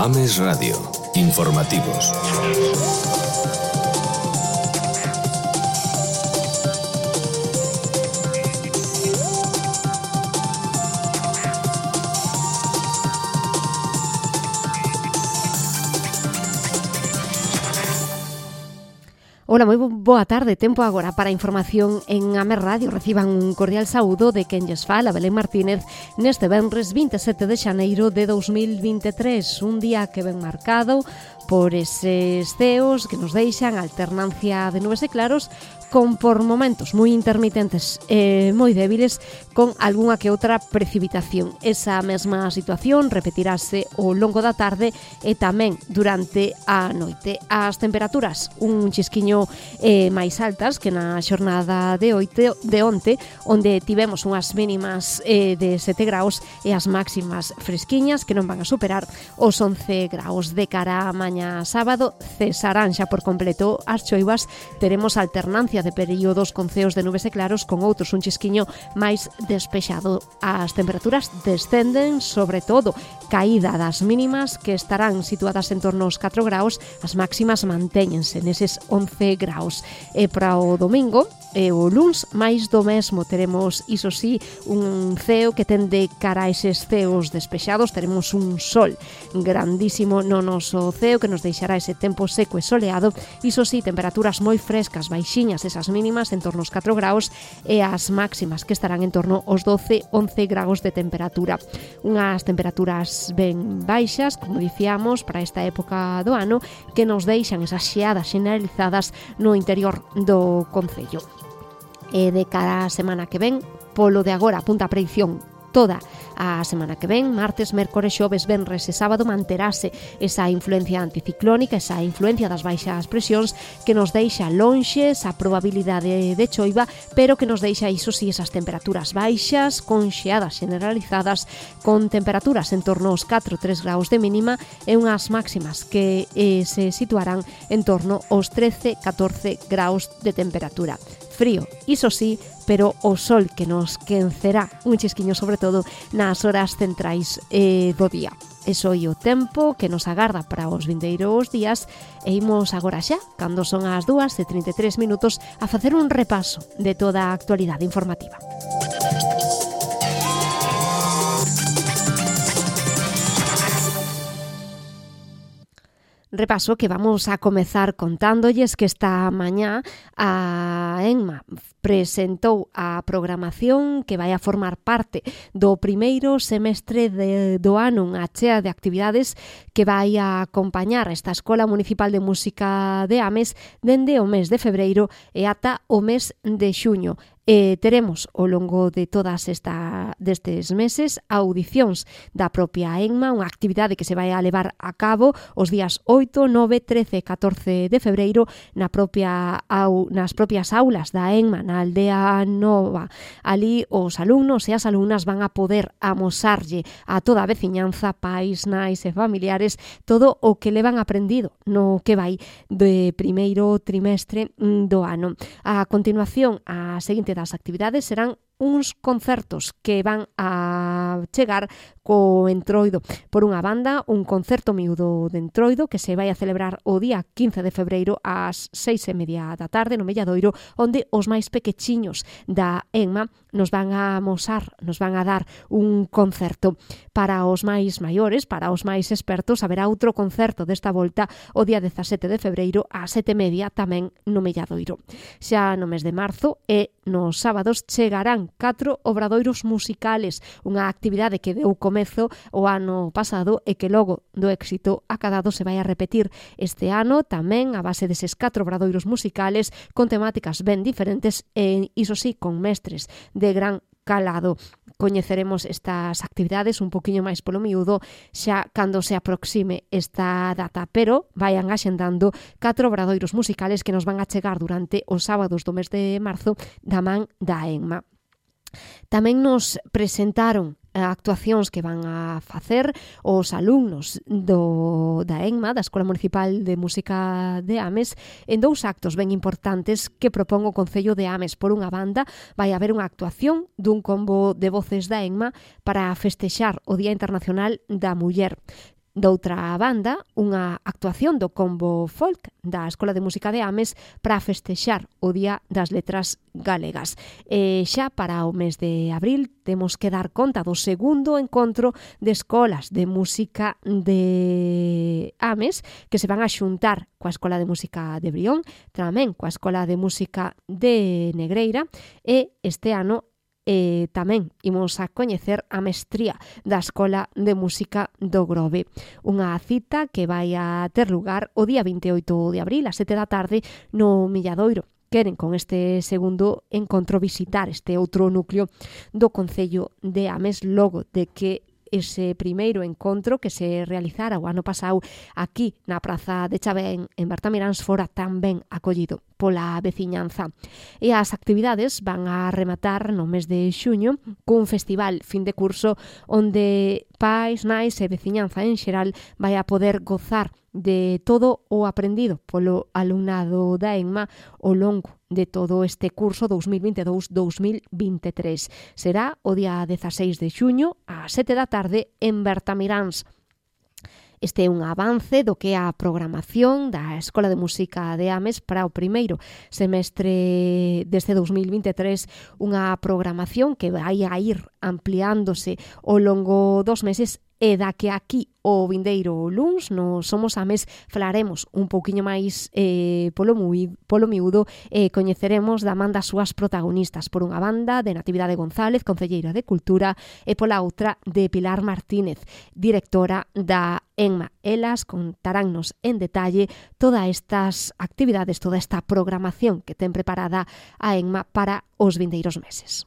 Ames Radio. Informativos. Ola, moi boa tarde. Tempo agora para a información en Ames Radio. Reciban un cordial saúdo de quen lles fala, Belén Martínez, neste venres 27 de xaneiro de 2023. Un día que ven marcado por eses ceos que nos deixan alternancia de nubes e claros con por momentos moi intermitentes e moi débiles con algunha que outra precipitación. Esa mesma situación repetirase ao longo da tarde e tamén durante a noite. As temperaturas un chisquiño máis altas que na xornada de onte, onde tivemos unhas mínimas de 7 graus e as máximas fresquiñas que non van a superar os 11 graus. De cara a mañá sábado cesarán xa por completo as choivas, teremos alternancia de períodos con ceos de nubes e claros con outros un chisquiño máis despexado. As temperaturas descenden, sobre todo caída das mínimas que estarán situadas en torno aos 4 graus, as máximas mantéñense neses 11 graus. E para o domingo e o luns máis do mesmo, teremos iso sí un ceo que tende cara a eses ceos despexados, teremos un sol grandísimo no noso ceo que nos deixará ese tempo seco e soleado, iso sí, temperaturas moi frescas, baixiñas esas mínimas en torno aos 4 graus e as máximas que estarán en torno aos 12-11 graus de temperatura. Unhas temperaturas ben baixas, como dicíamos, para esta época do ano, que nos deixan esas xeadas generalizadas no interior do concello. E de cara a semana que ven, polo de agora apunta a predicción toda a semana que ven, martes, mércores, xoves, venres e sábado manterase esa influencia anticiclónica, esa influencia das baixas presións que nos deixa lonxe esa probabilidade de choiva, pero que nos deixa iso sí esas temperaturas baixas, con xeadas generalizadas, con temperaturas en torno aos 4-3 graus de mínima e unhas máximas que se situarán en torno aos 13-14 graus de temperatura. Frío, iso sí, pero o sol que nos quencerá un chisquiño sobre todo nas horas centrais do día. Eso é o tempo que nos agarda para os vindeiros días e imos agora xa, cando son as 2:33 minutos, a facer un repaso de toda a actualidade informativa. Repaso que vamos a comezar contándolles que esta mañá a ENMA presentou a programación que vai a formar parte do primeiro semestre do ano, unha chea de actividades que vai a acompañar esta Escola Municipal de Música de Ames dende o mes de febreiro e ata o mes de xuño. Teremos ao longo de todas destes meses audicións da propia ENMA, unha actividade que se vai a levar a cabo os días 8, 9, 13 e 14 de febreiro nas propias aulas da ENMA, na Aldea Nova. Ali os alumnos e as alumnas van a poder amosarlle a toda a veciñanza, pais, nais e familiares todo o que levan aprendido no que vai de primeiro trimestre do ano. A continuación, a seguinte das actividades serán uns concertos que van a chegar co Entroido. Por unha banda, un concerto miúdo de Entroido que se vai a celebrar o día 15 de febreiro ás 6:30 da tarde no Melladoiro, onde os máis pequechiños da ENMA nos van a amosar, nos van a dar un concerto. Para os máis maiores, para os máis expertos, haberá outro concerto desta volta o día 17 de febreiro ás 7:30 tamén no Melladoiro. Xa no mes de marzo e nos sábados chegarán 4 obradoiros musicales, unha actividade que deu comezo o ano pasado e que logo do éxito acadado se vai a repetir este ano tamén a base deses 4 obradoiros musicales con temáticas ben diferentes e iso sí con mestres de gran calado. Coñeceremos estas actividades un poquinho máis polo miúdo xa cando se aproxime esta data, pero vayan axendando 4 obradoiros musicales que nos van a chegar durante os sábados do mes de marzo da man da ENMA. Tamén nos presentaron actuacións que van a facer os alumnos da ENMA, da Escola Municipal de Música de Ames, en dous actos ben importantes que propón o Concello de Ames. Por unha banda, vai haber unha actuación dun combo de voces da ENMA para festexar o Día Internacional da Muller. Doutra banda, unha actuación do combo folk da Escola de Música de Ames para festexar o Día das Letras Galegas. E xa para o mes de abril temos que dar conta do segundo encontro de escolas de música de Ames que se van a xuntar coa Escola de Música de Brión, tamén coa Escola de Música de Negreira, e este ano tamén imos a coñecer a mestría da Escola de Música do Grove. Unha cita que vai a ter lugar o día 28 de abril, a 7 da tarde, no Milladoiro. Queren con este segundo encontro visitar este outro núcleo do Concello de Ames, logo de que ese primeiro encontro que se realizara o ano pasado aquí na Praza de Chavén en Bertamiráns fora tan ben acollido pola veciñanza. E as actividades van a rematar no mes de xuño cun festival fin de curso onde pais, nais e veciñanza en xeral vai a poder gozar de todo o aprendido polo alumnado da ENMA ao longo de todo este curso 2022-2023. Será o día 16 de xuño a 7 da tarde en Bertamiráns. Este é un avance do que é a programación da Escola de Música de Ames para o primeiro semestre deste 2023, unha programación que vai a ir ampliándose ao longo dos meses e da que aquí o vindeiro luns no Somos Ames falaremos un pouquiño máis polo miúdo e coñeceremos da man das súas protagonistas. Por unha banda de Natividade González, concelleira de Cultura, e pola outra de Pilar Martínez, directora da ENMA. Elas contaránnos en detalle todas estas actividades, toda esta programación que ten preparada a ENMA para os vindeiros meses.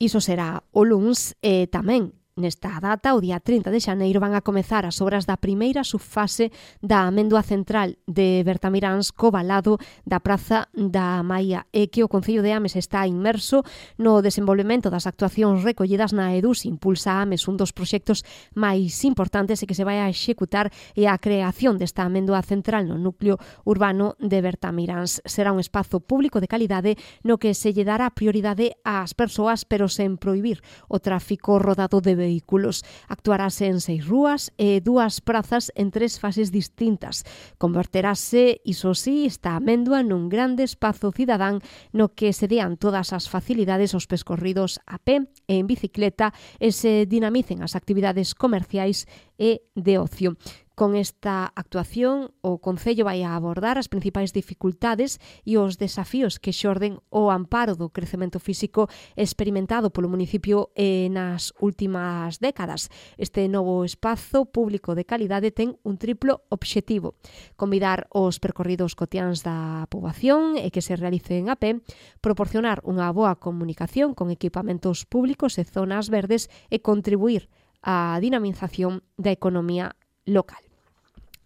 Iso será o luns e tamén nesta data, o día 30 de xaneiro, van a comezar as obras da primeira subfase da Amendoa Central de Bertamiráns co valado da Praza da Maia, e que o Concello de Ames está inmerso no desenvolvemento das actuacións recollidas na EDUS. Impulsa Ames un dos proxectos máis importantes e que se vai a executar e a creación desta Amendoa Central no núcleo urbano de Bertamiráns. Será un espazo público de calidade no que se lle dará prioridade ás persoas, pero sen prohibir o tráfico rodado de vehículos. Actuarase en 6 rúas e 2 prazas en 3 fases distintas. Converterase, iso sí, esta amendoa nun grande espazo cidadán no que se dean todas as facilidades aos percorridos a pé e en bicicleta e se dinamicen as actividades comerciais e de ocio. Con esta actuación, o Concello vai a abordar as principais dificultades e os desafíos que xorden o amparo do crecemento físico experimentado polo municipio nas últimas décadas. Este novo espazo público de calidade ten un triplo obxectivo: convidar os percorridos cotiáns da poboación e que se realicen a pé, proporcionar unha boa comunicación con equipamentos públicos e zonas verdes e contribuir á dinamización da economía local.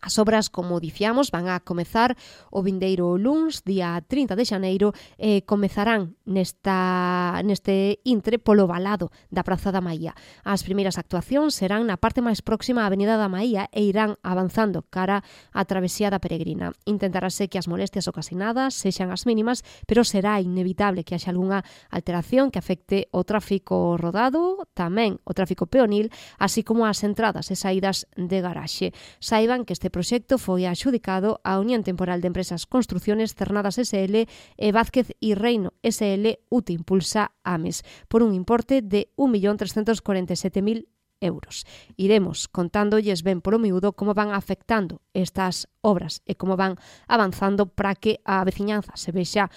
As obras, como dicíamos, van a comezar o vindeiro luns, día 30 de xaneiro, e comezarán neste intre polo valado da Praza da Maía. As primeiras actuacións serán na parte máis próxima á Avenida da Maía e irán avanzando cara á travesía da Peregrina. Intentarase que as molestias ocasionadas sexan as mínimas, pero será inevitable que haxa algunha alteración que afecte o tráfico rodado, tamén o tráfico peonil, así como as entradas e saídas de garaxe. Saiban que este proxecto foi adxudicado á Unión Temporal de Empresas Construcciones Cernadas S.L. e Vázquez y Reino S.L. UTI Impulsa Ames por un importe de 1.347.000 euros. Iremos contándolles ben polo miúdo como van afectando estas obras e como van avanzando para que a veciñanza se vexa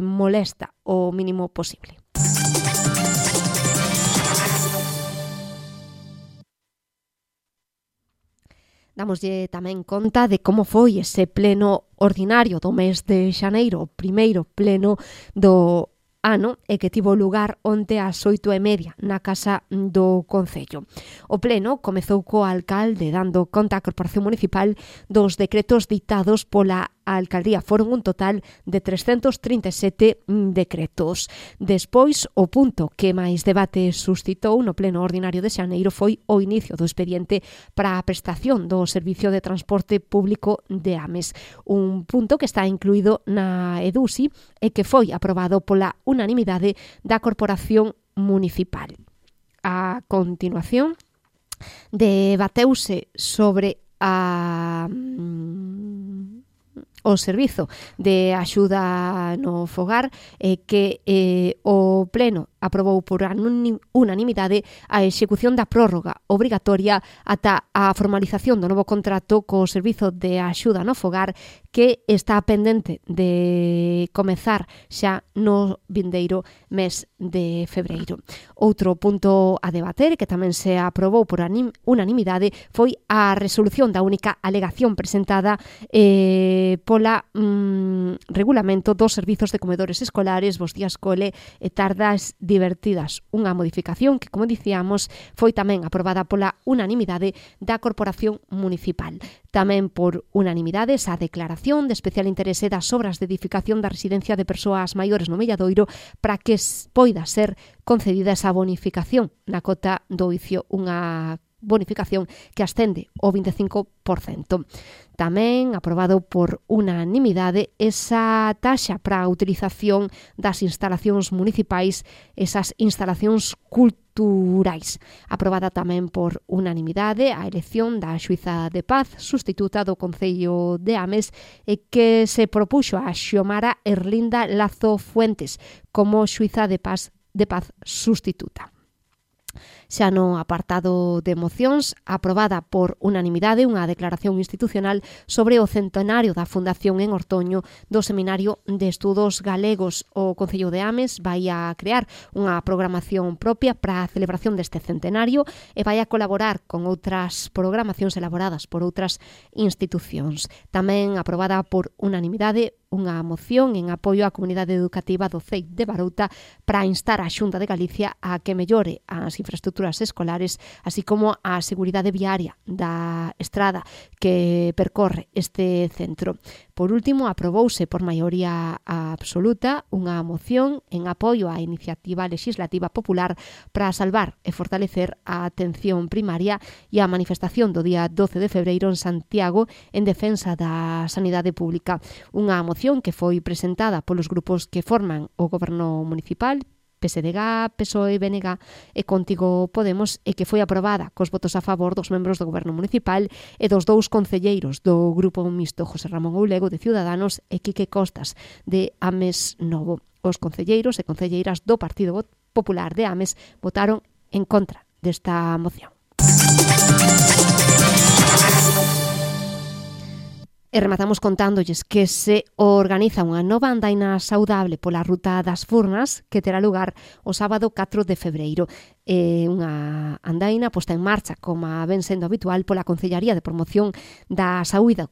molesta o mínimo posible. Damoslle tamén conta de como foi ese pleno ordinario do mes de xaneiro, o primeiro pleno do ano, e que tivo lugar onte ás 8:30 na Casa do Concello. O pleno comezou co alcalde dando conta á Corporación Municipal dos decretos dictados pola Alcaldía. Foron un total de 337 decretos. Despois, o punto que máis debate suscitou no pleno ordinario de xaneiro foi o inicio do expediente para a prestación do Servicio de Transporte Público de Ames. Un punto que está incluído na EDUSI e que foi aprobado pola unanimidade da Corporación municipal. A continuación, debateuse sobre o servizo de axuda no fogar que o Pleno aprobou por unanimidade a execución da prórroga obrigatoria ata a formalización do novo contrato co servizo de axuda no fogar que está pendente de comezar xa no vindeiro mes de febreiro. Outro punto a debater que tamén se aprobou por unanimidade foi a resolución da única alegación presentada pola regulamento dos servizos de comedores escolares, Bos Días Cole e tardas divertidas. Unha modificación que, como dicíamos, foi tamén aprobada pola unanimidade da Corporación Municipal. Tamén por unanimidade esa declaración de especial interese das obras de edificación da residencia de persoas maiores no Melladoiro para que poida ser concedida esa bonificación na cota do oicio, unha bonificación que ascende ao 25%. Tamén aprobado por unanimidade esa taxa para a utilización das instalacións municipais, esas instalacións culturais. Aprobada tamén por unanimidade a elección da xuíza de paz sustituta do Concello de Ames e que se propuxo a Xiomara Erlinda Lazo Fuentes como xuíza de paz sustituta. Xa no apartado de mocións, aprobada por unanimidade unha declaración institucional sobre o centenario da Fundación en Ortoño do Seminario de Estudos Galegos. O Concello de Ames vai a crear unha programación propia para a celebración deste centenario e vai a colaborar con outras programacións elaboradas por outras institucións. Tamén aprobada por unanimidade unha moción en apoio á comunidade educativa do CEI de Barouta para instar a Xunta de Galicia a que mellore as infraestructuras escolares, así como a seguridade viaria da estrada que percorre este centro. Por último, aprobouse por maioría absoluta unha moción en apoio á iniciativa legislativa popular para salvar e fortalecer a atención primaria e a manifestación do día 12 de febreiro en Santiago en defensa da sanidade pública. Unha moción que foi presentada polos grupos que forman o Goberno Municipal, PSDG, PSOE, BNG e Contigo Podemos, e que foi aprobada cos votos a favor dos membros do Goberno Municipal e dos dous concelleiros do Grupo Mixto, José Ramón Oulego, de Ciudadanos, e Quique Costas, de Ames Novo. Os concelleiros e concelleiras do Partido Popular de Ames votaron en contra desta moción. E rematamos contándolles que se organiza unha nova andaina saudable pola Ruta das Furnas que terá lugar o sábado 4 de febreiro. Unha andaina posta en marcha, como ven sendo habitual, pola Concellaría de Promoción da Saúde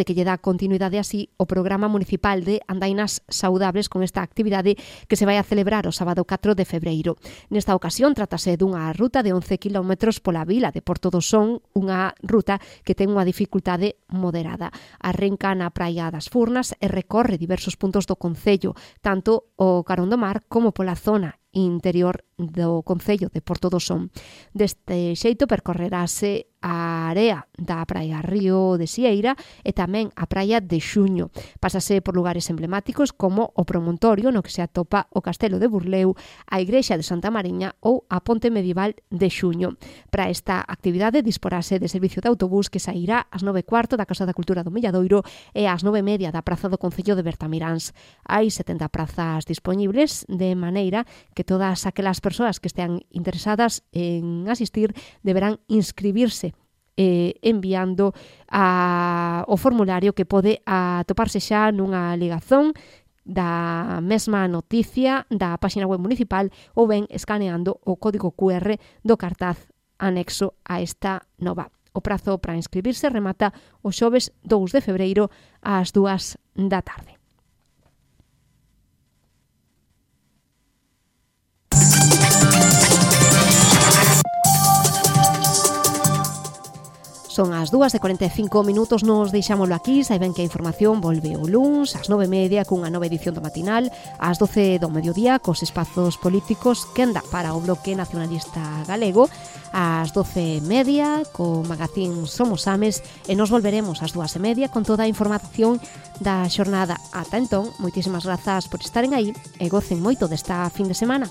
que lle dá continuidade así o programa municipal de andainas saudables con esta actividade que se vai a celebrar o sábado 4 de febreiro. Nesta ocasión trátase dunha ruta de 11 km pola vila de Porto do Son, unha ruta que ten unha dificultade moderada. Arrenca na Praia das Furnas e recorre diversos puntos do concello, tanto o carón do mar como pola zona interior do concello de Porto do Son. Deste xeito percorrerase a area da Praia Río de Sieira e tamén a Praia de Xuño. Pásase por lugares emblemáticos como o Promontorio, no que se atopa o Castelo de Burleu, a Igrexa de Santa Mariña ou a Ponte Medieval de Xuño. Para esta actividade disporase de servicio de autobús que sairá ás 9:15 da Casa da Cultura do Milladoiro e ás 9:30 da Praza do Concello de Bertamiráns. Hai 70 prazas disponibles, de maneira que todas aquelas persoas que estean interesadas en asistir deberán inscribirse enviando o formulario que pode atoparse xa nunha ligazón da mesma noticia da páxina web municipal ou ben escaneando o código QR do cartaz anexo a esta nova. O prazo para inscribirse remata o xoves 2 de febreiro ás 2 da tarde. Son as 2:45, nos deixámoslo aquí. Saiben que a información volve o luns ás 9:30 cunha nova edición do matinal, ás 12 do mediodía cos espazos políticos que anda para o Bloque Nacionalista Galego, ás 12:30 co magazín Somos Ames e nos volveremos ás 2:30 con toda a información da xornada. Ata entón, moitísimas grazas por estaren aí e gocen moito desta fin de semana.